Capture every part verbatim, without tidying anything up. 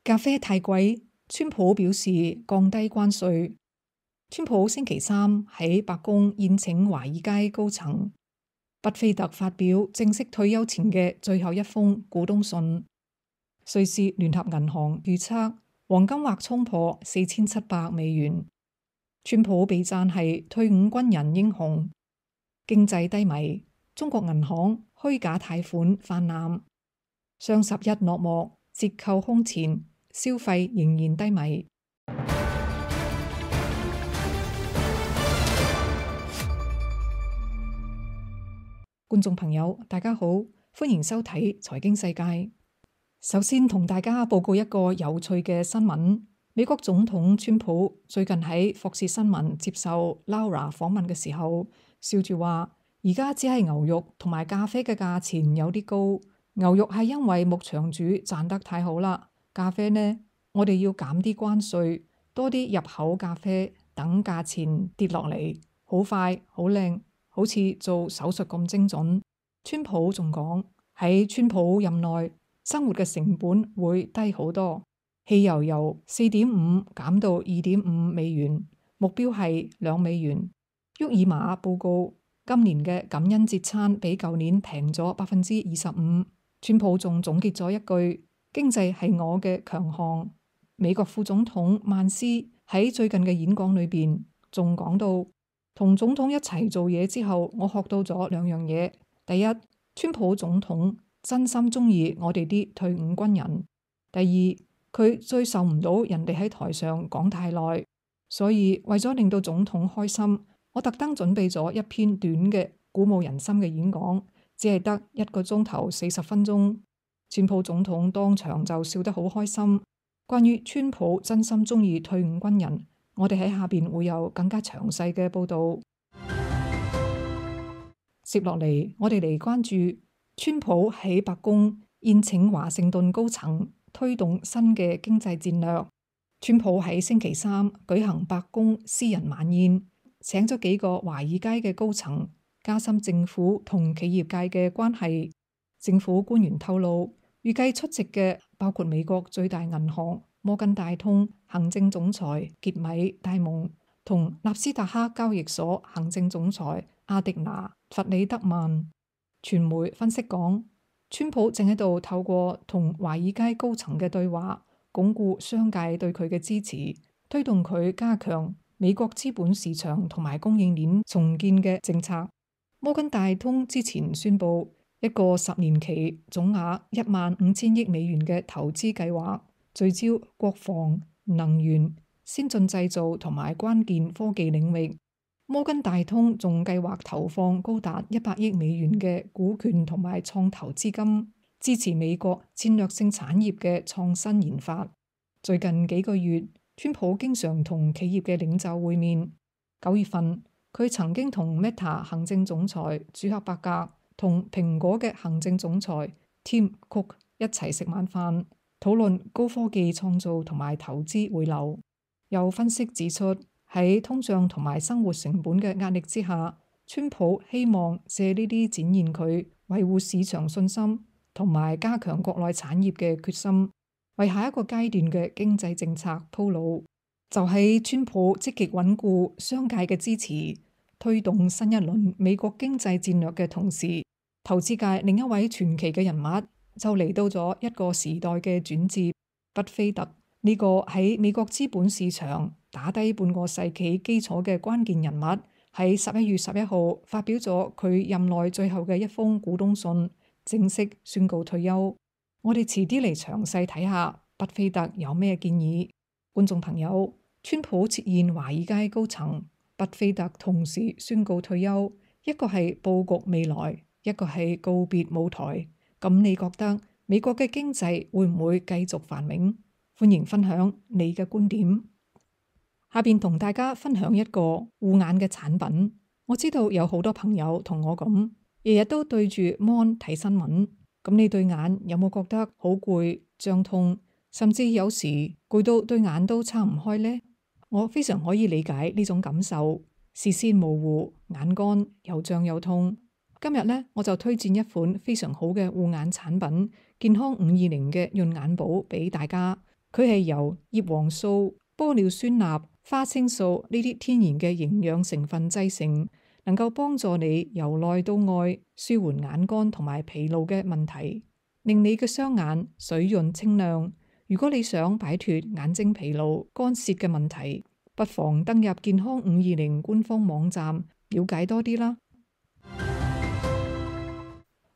咖啡太貴，川普表示降低關稅。川普星期三喺白宮宴請華爾街高層，巴菲特發表正式退休前嘅最後一封股東信。瑞士聯合銀行預測黃金或衝破四千七百美元。川普被讚係退伍軍人英雄。經濟低迷，中國銀行虛假貸款泛濫。雙十一落幕，折扣空前，消費仍然低迷。觀眾朋友，大家好，歡迎收睇財經世界。首先同大家報告一個有趣嘅新聞。美國總統川普最近喺霍士新聞接受 Laura 訪問嘅時候，笑住話：而家只係牛肉同埋咖啡嘅價錢有啲高。牛肉係因為牧場主賺得太好啦，咖啡呢，我哋要減啲關稅，多啲入口咖啡，等價錢跌落嚟，好快好靚，好似做手術咁精準。川普仲講喺川普任內，生活嘅成本會低好多。汽油由四點五減到二點五美元，目標係兩美元。沃爾瑪報告今年嘅感恩節餐比舊年平咗百分之二十五。川普仲總結咗一句：經濟係我嘅強項。美國副總統曼斯喺最近嘅演講裏邊仲講到，同總統一齊做嘢之後，我學到咗兩樣嘢。第一，川普總統真心中意我哋啲退伍軍人。第二，佢最受唔到人哋喺台上講太耐，所以為咗令到總統開心，我特登準備咗一篇短嘅鼓舞人心嘅演講，只係得一個鐘頭四十分鐘。川普總統當場就笑得好開心。關於川普真心中意退伍軍人，我哋喺下邊會有更加詳細嘅報道。接落嚟，我哋嚟關注川普喺白宮宴請華盛頓高層，推動新嘅經濟戰略。川普喺星期三舉行白宮私人晚宴，請咗幾個華爾街嘅高層，加深政府同企業界嘅關係。政府官員透露，預計出席嘅包括美國最大銀行摩根大通行政總裁傑米戴蒙同納斯達克交易所行政總裁阿迪拿弗里德曼。傳媒分析講，川普正喺度透過同華爾街高層嘅對話，鞏固商界對佢嘅支持，推動佢加強美國資本市場同埋供應鏈重建嘅政策。摩根大通之前宣布一個十年期總額一萬五千億美元嘅投資計劃，聚焦國防、能源、先進製造同埋關鍵科技領域。摩根大通仲計劃投放高達一百億美元嘅股權同埋創投資金，支持美國戰略性產業嘅創新研發。最近幾個月，川普經常同企業嘅領袖會面。九月份，佢曾經同 Meta 行政總裁祖克伯格同蘋果嘅行政總裁 Tim Cook 一齊食晚飯，討論高科技創造同埋投資回流。有分析指出，喺通脹同埋生活成本嘅壓力之下，川普希望借呢啲展現佢維護市場信心同埋加強國內產業嘅決心，為下一個階段嘅經濟政策鋪路。就喺川普積極穩固商界嘅支持，推動新一輪美國經濟戰略嘅同時，投資界另一位傳奇嘅人物就嚟到咗一個時代嘅轉折。巴菲特呢個喺美國資本市場打低半個世紀基礎嘅關鍵人物，喺十一月十一號發表咗佢任內最後嘅一封股東信，正式宣告退休。我哋遲啲嚟詳細睇下巴菲特有咩建議。觀眾朋友，川普設宴華爾街高層，巴菲特同時宣告退休，一個係佈局未來，一個係告別舞台。咁你覺得美國嘅經濟會唔會繼續繁榮？歡迎分享你嘅觀點。下邊同大家分享一個護眼嘅產品。我知道有好多朋友同我咁，日日都對住 mon 睇新聞。咁你對眼有冇覺得好攰、脹痛，甚至有時攰到對眼都撐唔開呢？我非常可以理解呢種感受，視線模糊、眼乾又脹又痛。今日呢，我就推薦一款非常好嘅護眼產品——健康五二零嘅潤眼寶俾大家。佢係由葉黃素、玻尿酸鈉、花青素呢啲天然嘅營養成分製成，能夠幫助你由內到外舒緩眼乾同埋疲勞嘅問題，令你嘅雙眼水潤清亮。如果你想擺脫眼睛疲勞、乾澀嘅問題，不妨登入健康五二零官方網站了解多啲啦。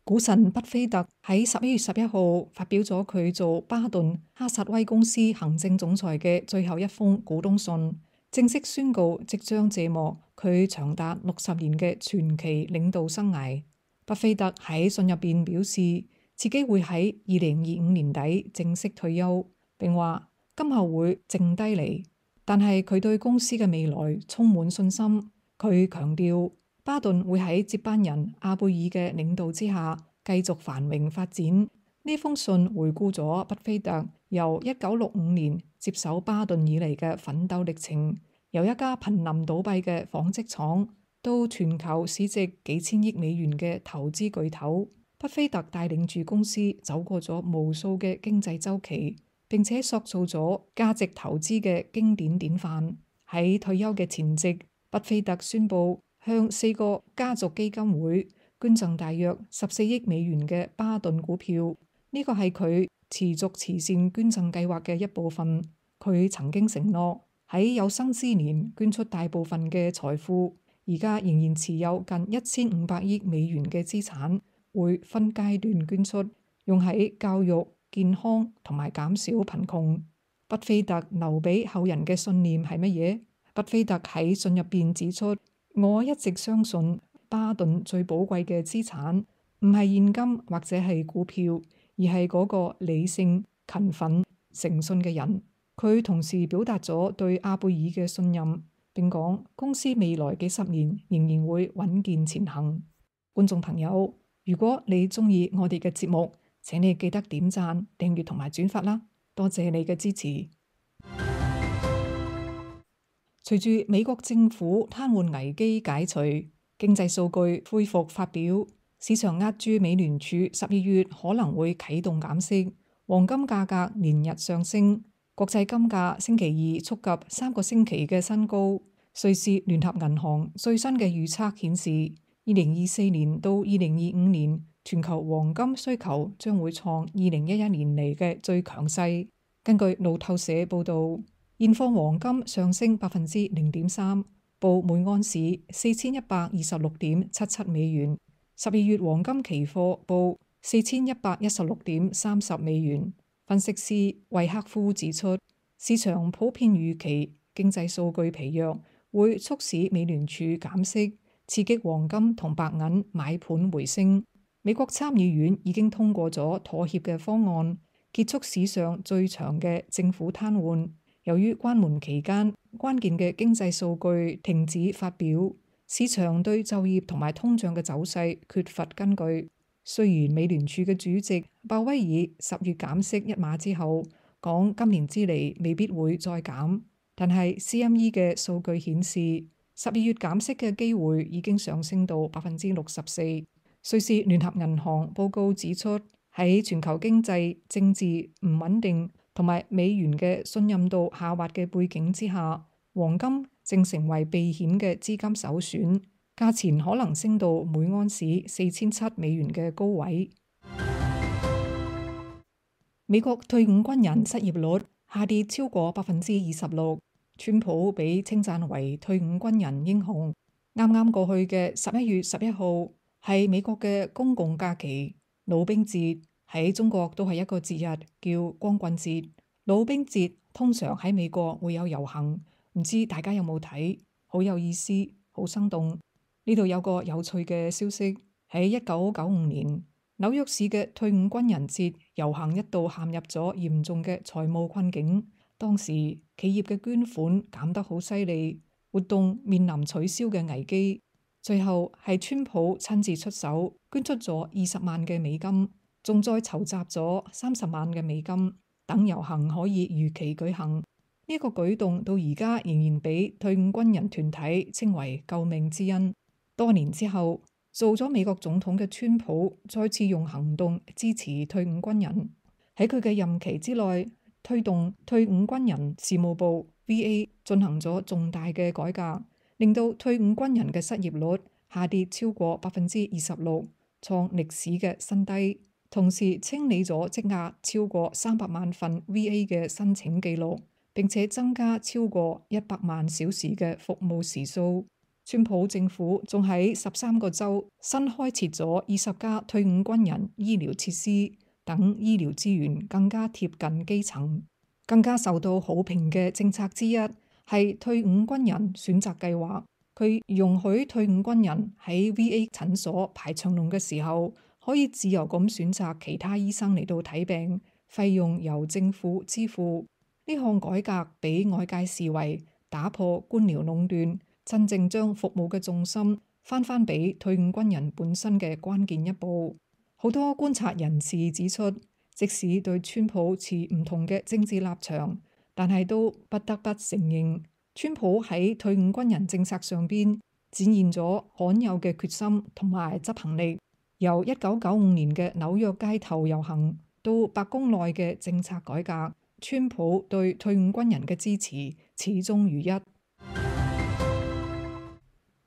股神巴菲特喺十一月十一號發表咗佢做巴頓哈薩威公司行政總裁嘅最後一封股東信，正式宣告即將謝幕佢長達六十年嘅傳奇領導生涯。巴菲特喺信入邊表示自己會喺二零二五年底正式退休，並話今後會靜低嚟，但係佢對公司嘅未來充滿信心。佢強調巴頓會喺接班人阿貝爾嘅領導之下繼續繁榮發展。呢封信回顧咗巴菲特由一九六五年接手巴頓以嚟嘅奮鬥歷程，由一家瀕臨倒閉嘅紡織廠到全球市值幾千億美元嘅投資巨頭。巴菲特帶領住公司走過咗無數嘅經濟週期，並且塑造咗價值投資嘅經典典範。喺退休嘅前夕，巴菲特宣布向四個家族基金會捐贈大約十四億美元嘅巴頓股票，呢個係佢持續慈善捐贈計劃嘅一部分。佢曾經承諾喺有生之年捐出大部分嘅財富，而家仍然持有近一千五百億美元嘅資產，會分階段捐出，用喺教育、健康同埋減少貧窮。巴菲特留俾後人嘅信念係乜嘢？巴菲特喺信入邊指出，我一直相信巴頓最寶貴嘅資產唔係現金或者係股票，而係嗰個理性、勤奮、誠信嘅人。佢同時表達咗對阿貝爾嘅信任，並講公司未來幾十年仍然會穩健前行。觀眾朋友，如果你中意我哋嘅節目，請你記得點讚、訂閱同埋轉發啦，多謝你嘅支持。隨住美國政府癱瘓危機解除，經濟數據恢復發表，市場押注美聯儲十二月可能會啟動減息，黃金價格連日上升，國際金價星期二觸及三個星期嘅新高。瑞士聯合銀行最新嘅預測顯示，二零二四年到二零二五年全球黃金需求將會創二零一一年嚟嘅最強勢。根據路透社報導，現貨黃金上升百分之零點三，報每安士四千一百二十六點七七美元。十二月黃金期貨報四千一百一十六點三十美元。分析師維克夫指出，市場普遍預期經濟數據疲弱會促使美聯儲減息，刺激黃金同白銀買盤回升。美國參議院已經通過咗妥協嘅方案，結束史上最長嘅政府癱瘓。由於關門期間關鍵嘅經濟數據停止發表，市場對就業同埋通脹嘅走勢缺乏根據。雖然美聯儲嘅主席鮑威爾十月減息一碼之後講今年之嚟未必會再減，但係 C M E 嘅數據顯示十二月減息嘅機會已經上升到百分之六十四。瑞士聯合銀行報告指出，喺全球經濟政治唔穩定同埋美元嘅信任度下滑嘅背景之下，黃金正成為避險嘅資金首選，價錢可能升到每安士四千七美元嘅高位。美國退伍軍人失業率下跌超過百分之二十六，川普被稱讚為退伍軍人英雄。啱啱過去嘅十一月十一號係美國嘅公共假期，老兵節。喺中國都係一個節日，叫光棍節。老兵節通常喺美國會有遊行，唔知大家有冇睇？好有意思，好生動。呢度有個有趣嘅消息，喺一九九五年，紐約市嘅退伍軍人節遊行一度陷入咗嚴重嘅財務困境。當時企業嘅捐款減得好犀利，活動面臨取消嘅危機。最後係川普親自出手，捐出咗二十萬嘅美金。仲再籌集咗三十萬嘅美金，等遊行可以如期舉行。呢、這、一個舉動到而家仍然俾退伍軍人團體稱為救命之恩。多年之後，做咗美國總統嘅川普再次用行動支持退伍軍人。喺佢嘅任期之內，推動退伍軍人事務部 V A 進行咗重大嘅改革，令到退伍軍人嘅失業率下跌超過百分之二十六，創歷史嘅新低。同時清理咗積壓超過三百萬份 V A 嘅申請記錄，並且增加超過一百萬小時嘅服務時數。川普政府仲喺十三個州新開設咗二十家退伍軍人醫療設施，等醫療資源更加貼近基層。更加受到好評嘅政策之一係退伍軍人選擇計劃，佢容許退伍軍人喺 V A 診所排長龍嘅時候，可以自由咁選擇其他醫生嚟到睇病，費用由政府支付。呢項改革俾外界視為打破官僚壟斷，真正將服務嘅重心翻返俾退伍軍人本身嘅關鍵一步。好多觀察人士指出，即使對川普持唔同嘅政治立場，但係都不得不承認，川普喺退伍軍人政策上邊展現咗罕有嘅決心同埋執行力。由一九九五年嘅紐約街頭遊行到白宮內嘅政策改革，川普對退伍軍人嘅支持始終如一。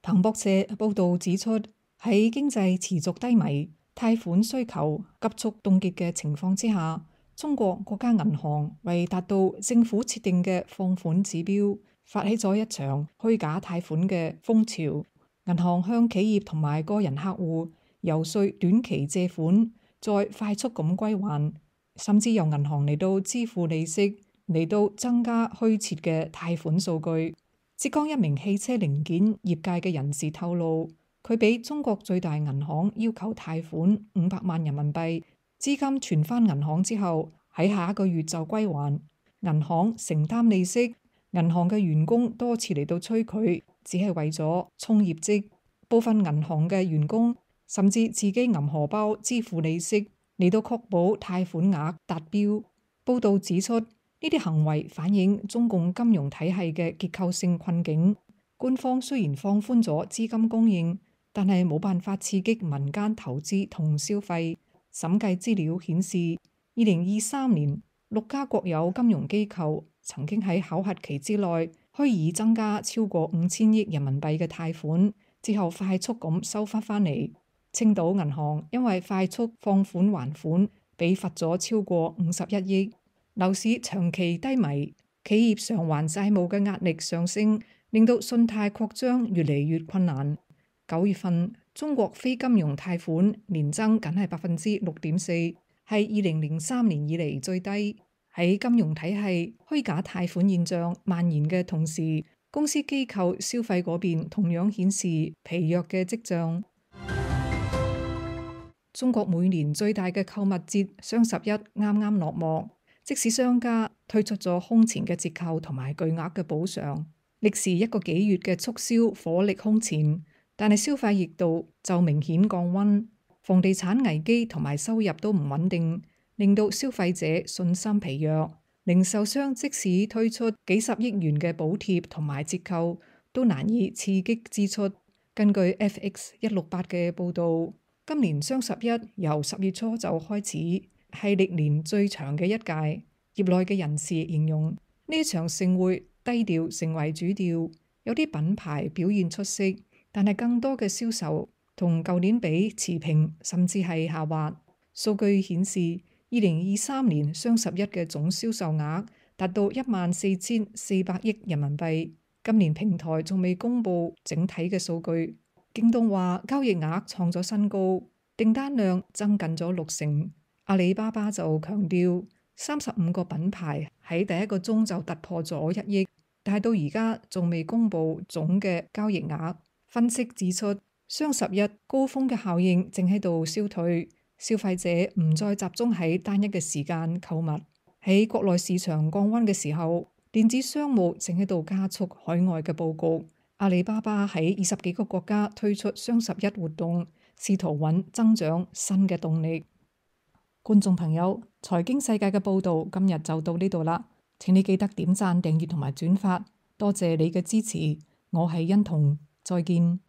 彭博社報導指出，喺經濟持續低迷、貸款需求急速凍結嘅情況之下，中國國家銀行為達到政府設定嘅放款指標，發起咗一場虛假貸款嘅風潮。銀行向企業同埋個人客戶遊說短期借款，再快速咁歸還，甚至由銀行嚟到支付利息，嚟到增加虛設嘅貸款數據。浙江一名汽車零件業界嘅人士透露，佢俾中國最大銀行要求貸款五百萬人民幣，資金存返銀行之後，喺下一個月就歸還，銀行承擔利息。銀行嘅員工多次嚟到催佢，只係為咗衝業績。部分銀行嘅員工甚至自己揞荷包支付利息，嚟到確保貸款額達標。報導指出，呢啲行為反映中共金融體系嘅結構性困境。官方雖然放寬咗資金供應，但係冇辦法刺激民間投資同消費。審計資料顯示，二零二三年六家國有金融機構曾經喺考核期之內虛擬增加超過五千億人民幣嘅貸款，之後快速咁收翻返嚟。青島銀行因為快速放款還款，被罰咗超過五十一億。樓市長期低迷，企業償還債務嘅壓力上升，令到信貸擴張越嚟越困難。九月份中國非金融貸款年增僅係百分之六點四，係二零零三年以嚟最低。喺金融體系虛假貸款現象蔓延嘅同時，公司機構消費嗰邊同樣顯示疲弱嘅跡象。中國每年最大嘅購物節雙十一啱啱落幕，即使商家推出咗空前嘅折扣同埋巨額嘅補償，歷時一個幾月嘅促銷火力空前，但係消費熱度就明顯降溫。房地產危機同埋收入都唔穩定，令到消費者信心疲弱。零售商即使推出幾十億元嘅補貼同埋折扣，都難以刺激支出。根據 F X 一六八嘅報導，今年雙十一由十月初就開始，係歷年最長嘅一屆。業內嘅人士形容呢一場盛會低調成為主調，有啲品牌表現出色，但係更多嘅銷售同舊年比持平，甚至係下滑。數據顯示，二零二三年雙十一嘅總銷售額達到一萬四千四百億人民幣。今年平台仲未公布整體嘅數據。京東話交易額創咗新高，訂單量增近咗六成。阿里巴巴就強調，三十五個品牌喺第一個鐘就突破咗一億，但係到而家仲未公布總嘅交易額。分析指出，雙十一高峰嘅效應正喺度消退，消費者唔再集中喺單一嘅時間購物。喺國內市場降溫嘅時候，電子商務正喺度加速海外嘅佈局。阿里巴巴喺二十幾個國家推出雙十一活動，試圖揾增長新嘅動力。觀眾朋友，財經世界嘅報道今日就到呢度啦，請你記得點讚、訂閱同埋轉發，多謝你嘅支持。我係欣彤，再見。